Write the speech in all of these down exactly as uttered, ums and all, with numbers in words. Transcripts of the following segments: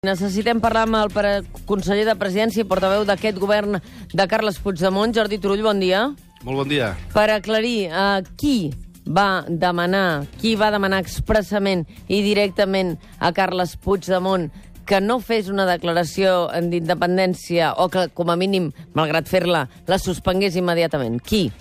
Necessitem parlar amb el pre- conseller de Presidència i portaveu d'aquest govern de Carles Puigdemont. Jordi Turull, bon dia. Molt bon dia. Per aclarir, eh, qui va demanar, qui va demanar expressament i directament a Carles Puigdemont que no fes una declaració d'independència o que, com a mínim, malgrat fer-la, la suspengués immediatament? Qui?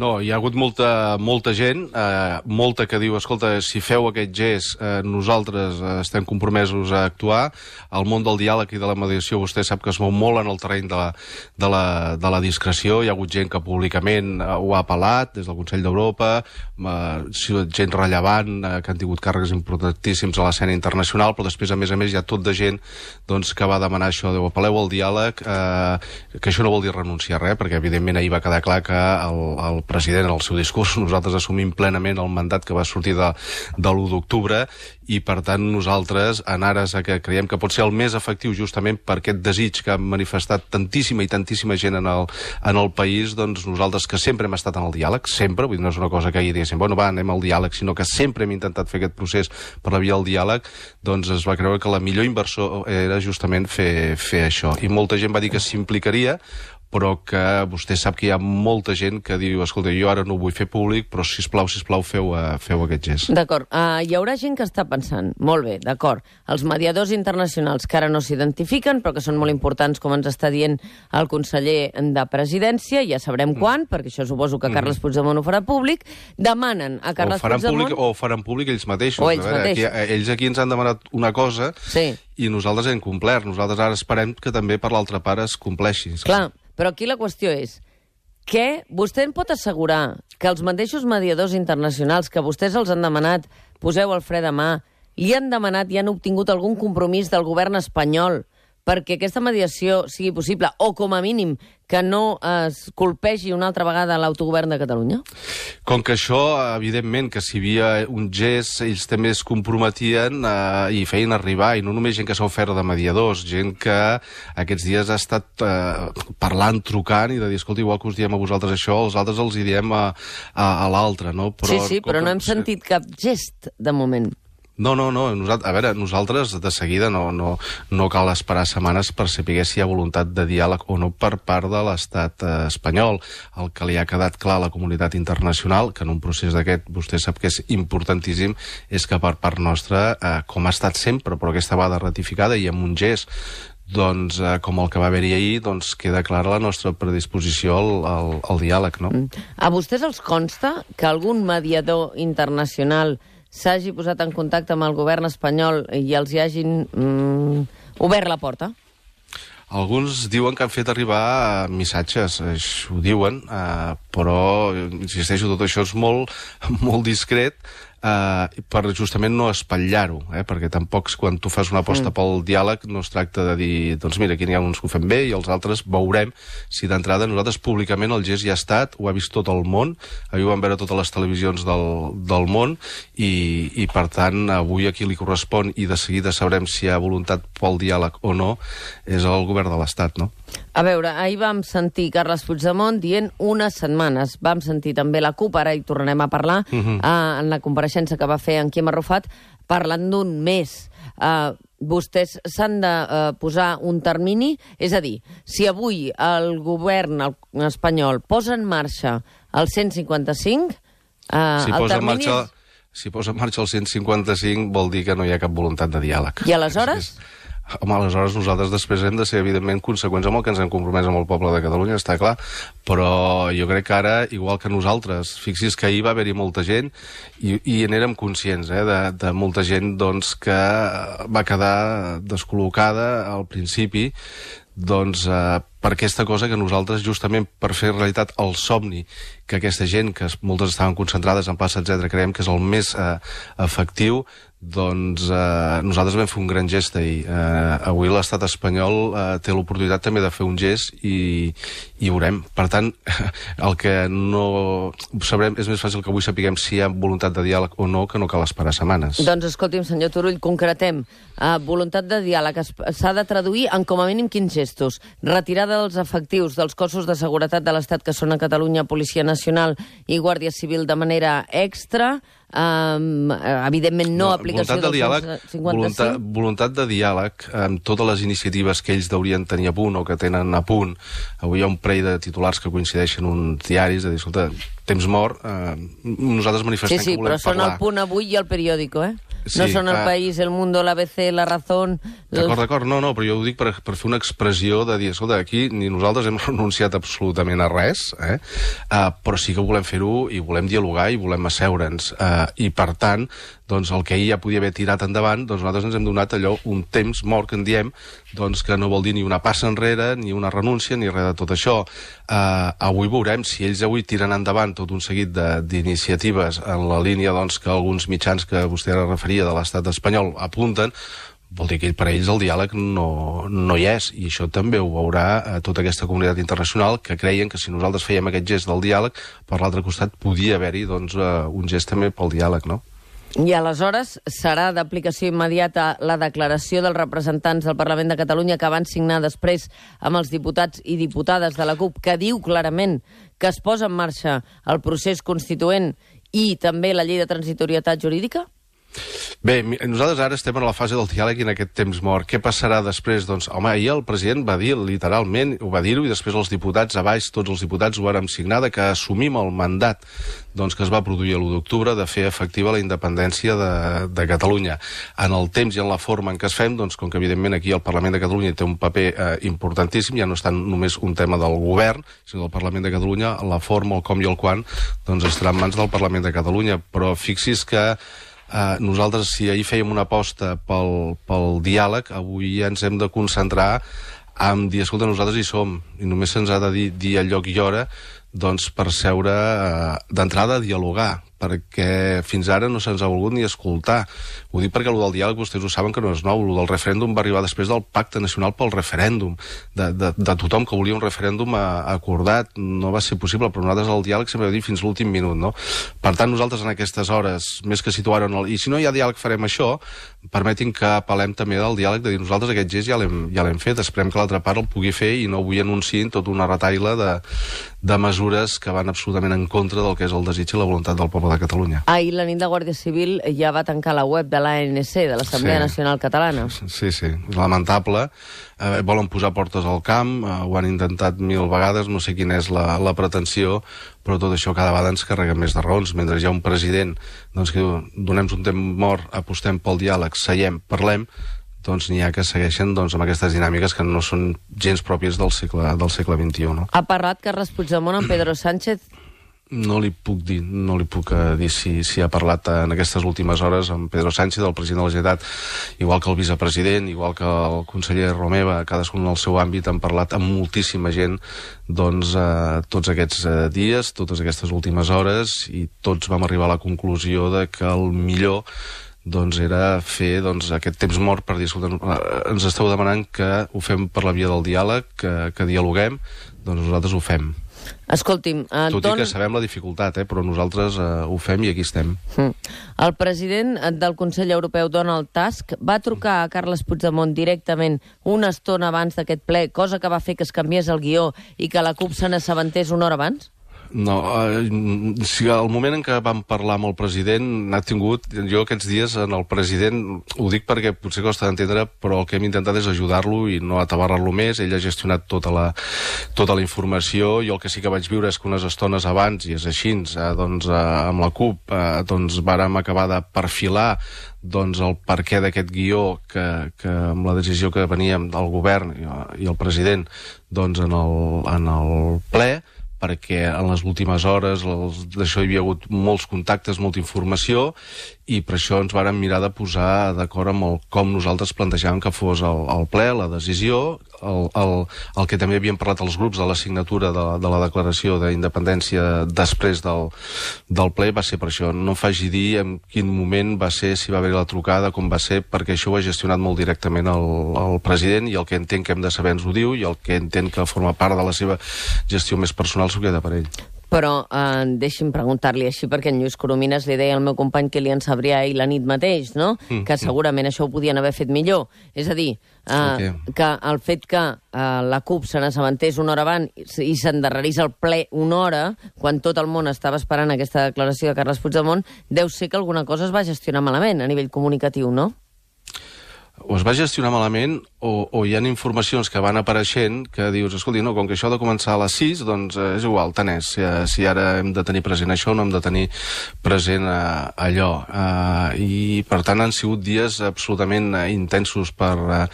No, hi ha hagut molta, molta gent, eh, molta que diu, escolta, si feu aquest gest, eh, nosaltres eh, estem compromesos a actuar. El món del diàleg i de la mediació, vostè sap que es mou molt en el terreny de la, de la, de la discreció. Hi ha hagut gent que públicament eh, ho ha apel·lat, des del Consell d'Europa, eh, gent rellevant, eh, que han tingut càrrecs importantíssims a l'escena internacional, però després, a més a més, hi ha tot de gent doncs, que va demanar això, de apel·leu al diàleg, eh, que això no vol dir renunciar a res, perquè evidentment ahir va quedar clar que el, el president, en el seu discurs, nosaltres assumim plenament el mandat que va sortir de, de l'u d'octubre i, per tant, nosaltres, en ares a que creiem que pot ser el més efectiu justament per aquest desig que ha manifestat tantíssima i tantíssima gent en el, en el país, doncs nosaltres que sempre hem estat en el diàleg, sempre, vull dir, no és una cosa que ahir diguéssim, bueno, va, anem al diàleg, sinó que sempre hem intentat fer aquest procés per la via del diàleg, doncs es va creure que la millor inversor era justament fer, fer això. I molta gent va dir que s'implicaria, però que vostè sap que hi ha molta gent que diu, escolta, jo ara no ho vull fer públic, però sisplau, sisplau, feu, uh, feu aquest gest. D'acord. Uh, hi haurà gent que està pensant, molt bé, d'acord, els mediadors internacionals que ara no s'identifiquen, però que són molt importants, com ens està dient el conseller de Presidència, ja sabrem mm. quan, perquè això suposo que Carles mm. Puigdemont ho farà públic, demanen a Carles o faran Puigdemont... Públic, o faran públic ells mateixos. O ells a veure, mateixos. Aquí, ells aquí ens han demanat una cosa sí. i nosaltres hem complert. Nosaltres ara esperem que també per l'altra part es compleixi. Clar. Però aquí la qüestió és que vostè em pot assegurar que els mateixos mediadors internacionals que vostès els han demanat, poseu el fre de mà, li han demanat i han obtingut algun compromís del govern espanyol perquè aquesta mediació sigui possible, o com a mínim que no es colpegi una altra vegada l'autogovern de Catalunya? Com que això, evidentment, que si hi havia un gest, ells també es comprometien eh, i feien arribar, i no només gent que s'ha ofert de mediadors, gent que aquests dies ha estat eh, parlant, trucant, i de dir, escolta, igual que us diem a vosaltres això, els altres els hi diem a, a, a l'altre, no? Però, sí, sí, però no hem sentit cap gest, de moment. No, no, no. Nosaltres, a veure, nosaltres de seguida no, no, no cal esperar setmanes per saber si hi ha voluntat de diàleg o no per part de l'estat eh, espanyol. El que li ha quedat clar a la comunitat internacional, que en un procés d'aquest vostè sap que és importantíssim, és que per part nostra, eh, com ha estat sempre, però aquesta vegada ratificada i amb un gest doncs, eh, com el que va haver-hi ahir, doncs queda clara la nostra predisposició al, al, al diàleg, no? A vostès els consta que algun mediador internacional s'hagi posat en contacte amb el govern espanyol i els hi hagin mm, obert la porta? Alguns diuen que han fet arribar missatges, això ho diuen, eh, però, insisteixo, tot això és molt, molt discret, Uh, per justament no espatllar-ho, eh? Perquè tampoc quan tu fas una aposta mm. pel diàleg no es tracta de dir, doncs mira, aquí n'hi ha uns que ho fem bé i els altres veurem si d'entrada nosaltres públicament el gest ja ha estat, ho ha vist tot el món, ahir ho van veure totes les televisions del, del món i, i per tant avui aquí li correspon i de seguida sabrem si hi ha voluntat pel diàleg o no, és el govern de l'Estat, no? A veure, ahir vam sentir Carles Puigdemont dient unes setmanes. Vam sentir també la CUP, ara hi tornarem a parlar, uh -huh. uh, en la compareixença que va fer en Quim Arrufat, parlant d'un mes. Uh, vostès s'han de uh, posar un termini, és a dir, si avui el govern el espanyol posa en marxa el cent cinquanta-cinc, uh, si el posa termini... En marxa, si posa en marxa el cent cinquanta-cinc vol dir que no hi ha cap voluntat de diàleg. I aleshores... Home, aleshores nosaltres després hem de ser, evidentment, conseqüents amb el que ens hem compromès amb el poble de Catalunya, està clar, però jo crec que ara, igual que nosaltres, fixi's que ahir va haver-hi molta gent i, i n'érem conscients, eh, de, de molta gent doncs, que va quedar descol·locada al principi, doncs eh, per aquesta cosa que nosaltres, justament per fer realitat el somni que aquesta gent, que moltes estaven concentrades en plaça, etcètera, creiem que és el més eh, efectiu, doncs eh, nosaltres vam fer un gran gest ahir. Eh, avui l'estat espanyol eh, té l'oportunitat també de fer un gest i, i veurem. Per tant, el que no sabrem és més fàcil que avui sapiguem si hi ha voluntat de diàleg o no, que no cal esperar setmanes. Doncs escolti'm, senyor Turull, concretem. Uh, voluntat de diàleg s'ha de traduir en com a mínim quins gestos? Retirada dels efectius dels cossos de seguretat de l'Estat que són a Catalunya, Policia Nacional, Nacional i Guàrdia Civil de manera extra. Um, evidentment no, no aplicació del cent cinquanta-cinc. Voluntat, voluntat de diàleg amb totes les iniciatives que ells deurien tenir a punt o que tenen a punt. Avui hi ha un parell de titulars que coincideixen uns diaris de dir, escolta, temps mort, eh, nosaltres manifestem sí, sí, que volem parlar. Sí, sí, però són el Punt Avui i el Periódico, eh? Sí, no són el clar. País, el Mundo, l'A B C, la Razón... D'acord, d'acord, no, no, però jo ho dic per, per fer una expressió de dir, escolta, aquí ni nosaltres hem renunciat absolutament a res, eh? Uh, però sí que volem fer-ho i volem dialogar i volem asseure'ns. Uh, I, per tant, doncs el que ahir ja podia haver tirat endavant, doncs nosaltres ens hem donat allò un temps mort, que en diem, doncs que no vol dir ni una passa enrere, ni una renúncia, ni res de tot això. Uh, avui veurem si ells avui tiren endavant tot un seguit d'iniciatives en la línia doncs, que alguns mitjans que vostè ara referia de l'estat espanyol apunten, vol dir que per a ells el diàleg no, no hi és, i això també ho veurà a tota aquesta comunitat internacional que creien que si nosaltres fèiem aquest gest del diàleg, per l'altre costat podia haver-hi doncs, uh, un gest també pel diàleg, no? I aleshores serà d'aplicació immediata la declaració dels representants del Parlament de Catalunya que van signar després amb els diputats i diputades de la CUP, que diu clarament que es posa en marxa el procés constituent i també la llei de transitorietat jurídica? Bé, nosaltres ara estem en la fase del diàleg i en aquest temps mort. Què passarà després? Doncs, home, ahir el president va dir, literalment, ho va dir-ho, i després els diputats a baix, tots els diputats ho vàrem signar, que assumim el mandat doncs, que es va produir l'u d'octubre de fer efectiva la independència de, de Catalunya. En el temps i en la forma en què es fem, doncs, com que evidentment aquí el Parlament de Catalunya té un paper eh, importantíssim, ja no és tant només un tema del govern, sinó del Parlament de Catalunya, la forma, el com i el quan, doncs estarà en mans del Parlament de Catalunya. Però fixi's que Uh, nosaltres, si ahir fèiem una aposta pel, pel diàleg, avui ja ens hem de concentrar en dir, escolta, nosaltres hi som, i només se'ns ha de dir, dir el lloc i hora, doncs per seure uh, d'entrada a dialogar, perquè fins ara no se'ns ha volgut ni escoltar. Ho dic perquè el del diàleg vostès ho saben que no és nou, el del referèndum va arribar després del Pacte Nacional pel Referèndum, de, de, de tothom que volia un referèndum acordat, no va ser possible, però nosaltres el diàleg sempre ho dir fins l'últim minut, no? Per tant, nosaltres en aquestes hores, més que situar-ho, i si no hi ha diàleg farem això, permetin que apel·lem també del diàleg, de dir nosaltres aquest gest ja l'hem ja l'hem fet, esperem que l'altra part el pugui fer i no avui anunciïn tota una retaila de, de mesures que van absolutament en contra del que és el desig i la voluntat del poble de Catalunya. Ahir la nit de Guàrdia Civil ja va tancar la web de l'A N C, de l'Assemblea sí. Nacional Catalana. Sí, sí, és lamentable. Eh, volen posar portes al camp, eh, ho han intentat mil vegades, no sé quina és la, la pretensió, però tot això cada vegada ens carrega més de raons. Mentre hi ha un president doncs, que diu, donem un temps mort, apostem pel diàleg, seiem, parlem, doncs n'hi ha que segueixen doncs, amb aquestes dinàmiques que no són gens pròpies del segle, del segle vint-i-u. No? Ha parlat Carles Puigdemont amb Pedro Sánchez? No li puc dir, no li puc uh, dir si, si ha parlat uh, en aquestes últimes hores amb Pedro Sánchez, el president de la Generalitat, igual que el vicepresident, igual que el conseller Romeva, cadascun en el seu àmbit, han parlat amb moltíssima gent doncs, uh, tots aquests uh, dies, totes aquestes últimes hores, i tots vam arribar a la conclusió de que el millor doncs era fer doncs, aquest temps mort per dir, escolta, ens esteu demanant que ho fem per la via del diàleg, que, que dialoguem, doncs nosaltres ho fem. Escolti'm, Anton... Tot i que sabem la dificultat, eh, però nosaltres eh, ho fem i aquí estem. Mm. El president del Consell Europeu, Donald Tusk, va trucar a Carles Puigdemont directament una estona abans d'aquest ple, cosa que va fer que es canviés el guió i que la CUP se n'assabentés una hora abans? No, eh, si al moment en què vam parlar amb el president n'ha tingut, jo aquests dies en el president, ho dic perquè potser costa d'entendre, però el que hem intentat és ajudar-lo i no atabarrar-lo més. Ell ha gestionat tota la, tota la informació, i el que sí que vaig viure és que unes estones abans, i és així, eh, doncs, eh, amb la CUP, eh, doncs vàrem acabar de perfilar doncs el perquè d'aquest guió que, que amb la decisió que veníem del govern i, i el president doncs en el, en el ple, perquè en les últimes hores d'això hi havia hagut molts contactes, molta informació, i per això ens vàrem mirar de posar d'acord amb el, com nosaltres plantejàvem que fos el, el ple, la decisió, el, el, el que també havíem parlat els grups de la signatura de, de la declaració d'independència després del, del ple, va ser per això. No em faci dir en quin moment va ser, si va haver la trucada, com va ser, perquè això ho ha gestionat molt directament el, el president, i el que entenc que hem de saber ens ho diu, i el que entenc que forma part de la seva gestió més personal s'ho queda per ell. Però eh, deixi'm preguntar-li així, perquè en Lluís Coromines li deia al meu company Kilian Sabrià ahir la nit mateix, no? Mm, que segurament mm. això ho podien haver fet millor. És a dir, eh, okay. que el fet que eh, la CUP se n'assabentés una hora abans i s'endarrerís el ple una hora, quan tot el món estava esperant aquesta declaració de Carles Puigdemont, deu ser que alguna cosa es va gestionar malament a nivell comunicatiu, no? O es va gestionar malament o, o hi ha informacions que van apareixent que dius, escolti, no, com que això ha de començar a les sis, doncs eh, és igual, tant és. Si, si ara hem de tenir present això, no hem de tenir present eh, allò. Eh, I, per tant, han sigut dies absolutament eh, intensos per... Eh,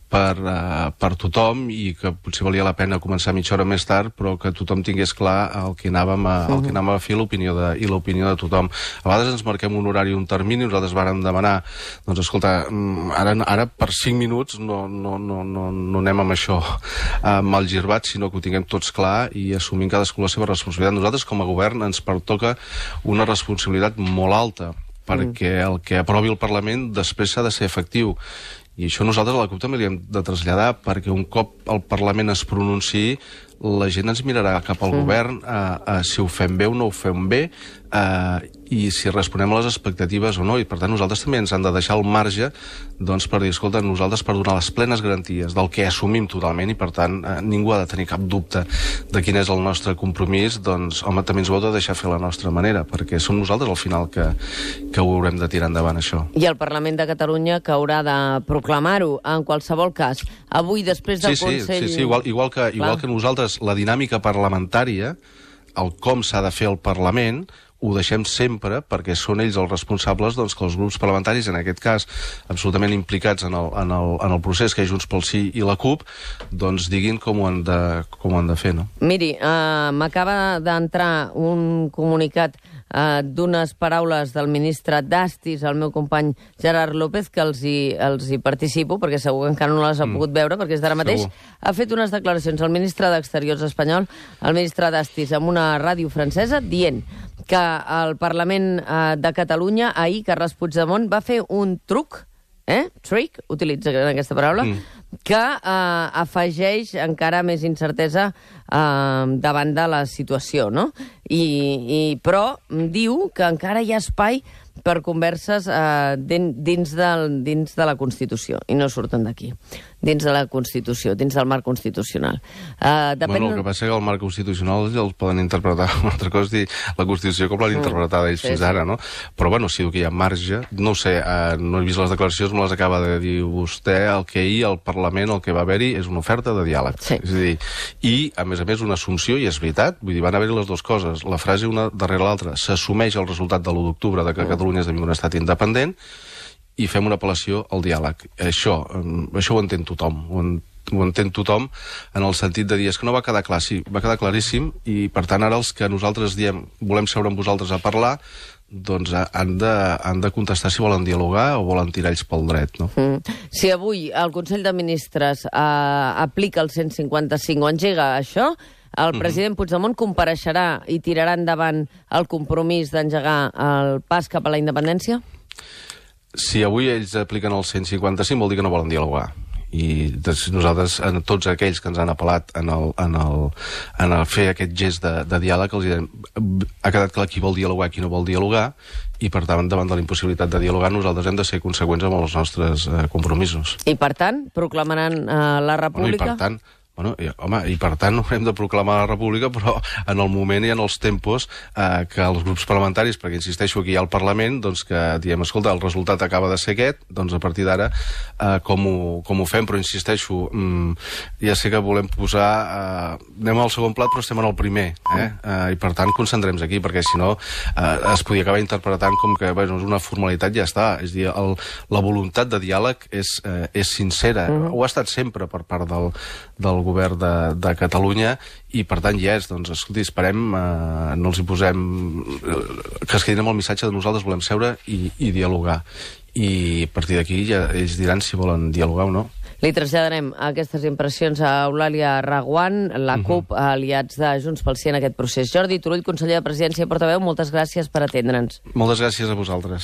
Per, uh, per tothom, i que potser valia la pena començar mitja hora més tard, però que tothom tingués clar el que anàvem a, el que anàvem a fer l'opinió de, i l'opinió de tothom. A vegades ens marquem un horari, un termini, nosaltres vàrem demanar, doncs escolta, ara, ara per cinc minuts no, no, no, no, no anem amb això uh, mal girbat, sinó que ho tinguem tots clar i assumim cadascú la seva responsabilitat. Nosaltres, com a govern, ens pertoca una responsabilitat molt alta, perquè el que aprovi el Parlament després s'ha de ser efectiu. I això nosaltres a la CUP també li hem de traslladar, perquè un cop el Parlament es pronunciï, la gent ens mirarà cap al sí. govern a, a si ho fem bé o no ho fem bé, a, i si responem a les expectatives o no. I per tant nosaltres també ens han de deixar el marge, doncs, per dir, escolta, nosaltres per donar les plenes garanties del que assumim totalment, i per tant eh, ningú ha de tenir cap dubte de quin és el nostre compromís, doncs home, també ens ho heu de deixar fer la nostra manera, perquè som nosaltres al final que, que ho haurem de tirar endavant, això. I el Parlament de Catalunya que haurà de proclamar-ho en qualsevol cas. Avui, després del sí, sí, Consell... Sí, sí, igual, igual, que, igual que nosaltres, la dinàmica parlamentària, el com s'ha de fer el Parlament, ho deixem sempre, perquè són ells els responsables, doncs, que els grups parlamentaris, en aquest cas, absolutament implicats en el, en el, en el procés, que és Junts pel Sí i la CUP, doncs diguin com ho han de, com ho han de fer, no? Miri, uh, m'acaba d'entrar un comunicat uh, d'unes paraules del ministre d'Astis, el meu company Gerard López, que els hi, els hi participo, perquè segur que encara no les ha mm. pogut veure, perquè és d'ara mateix. Segur. Ha fet unes declaracions al ministre d'Exteriors espanyol, el ministre d'Astis, amb una ràdio francesa, dient que el Parlament eh, de Catalunya, ahir, Carles Puigdemont, va fer un truc, eh? Trick, utilitza aquesta paraula, mm. que eh, afegeix encara més incertesa eh, davant de la situació, no? I, i, però diu que encara hi ha espai per converses eh, dins, del, dins de la Constitució, i no surten d'aquí. Dins de la Constitució, dins del marc constitucional. Uh, depèn... Bueno, el que passa és que el marc constitucional el poden interpretar una altra cosa, dir la Constitució com l'han mm. interpretat ells sí, fins ara, no? Però, bueno, si que hi ha marge, no ho sé, uh, no he vist les declaracions, me les acaba de dir vostè, el que ahir al Parlament, el que va haver-hi, és una oferta de diàleg. Sí. És a dir, i, a més a més, una assumpció, i és veritat, vull dir, van haver-hi les dues coses, la frase una darrere l'altra, s'assumeix el resultat de l'u d'octubre de que mm. Catalunya esdevingui un estat independent, i fem una apel·lació al diàleg. Això, això ho entén tothom, ho, en, ho entén tothom en el sentit de dir, és que no va quedar clar, sí, va quedar claríssim, i per tant ara els que nosaltres diem volem seure amb vosaltres a parlar, doncs han de, han de contestar si volen dialogar o volen tirar ells pel dret, no? Mm. Si avui el Consell de Ministres eh, aplica el cent cinquanta-cinc o engega això, el president mm-hmm. Puigdemont compareixerà i tirarà endavant el compromís d'engegar el pas cap a la independència? Si avui ells apliquen el cent cinquanta-cinc vol dir que no volen dialogar. I nosaltres, en tots aquells que ens han apel·lat en, el, en, el, en el fer aquest gest de, de diàleg, els direm, ha quedat clar qui vol dialogar i qui no vol dialogar, i per tant, davant de la impossibilitat de dialogar, nosaltres hem de ser conseqüents amb els nostres eh, compromisos. I per tant, proclamaran eh, la República? Bueno, i per tant, Bueno, i, home, i per tant haurem de proclamar la República, però en el moment i en els tempos eh, que els grups parlamentaris, perquè insisteixo aquí hi ha el Parlament, doncs que diem, escolta, el resultat acaba de ser aquest, doncs a partir d'ara eh, com, ho, com ho fem, però insisteixo, mm, ja sé que volem posar, eh, anem al segon plat però estem en el primer, eh? Eh, i per tant concentrem-nos aquí, perquè si no eh, es podia acabar interpretant com que bueno, és una formalitat, ja està, és dir, el, la voluntat de diàleg és, eh, és sincera, uh-huh. ho ha estat sempre per part del, del govern de, de Catalunya, i per tant ja és, doncs, escolti, esperem, eh, no els hi posem, eh, que es quedin amb el missatge de nosaltres volem seure i, i dialogar. I a partir d'aquí ja ells diran si volen dialogar o no. Li traslladarem aquestes impressions a Eulàlia Reguant, la CUP, uh-huh. aliats de Junts pel Sí en aquest procés. Jordi Turull, conseller de Presidència i portaveu, moltes gràcies per atendre'ns. Moltes gràcies a vosaltres.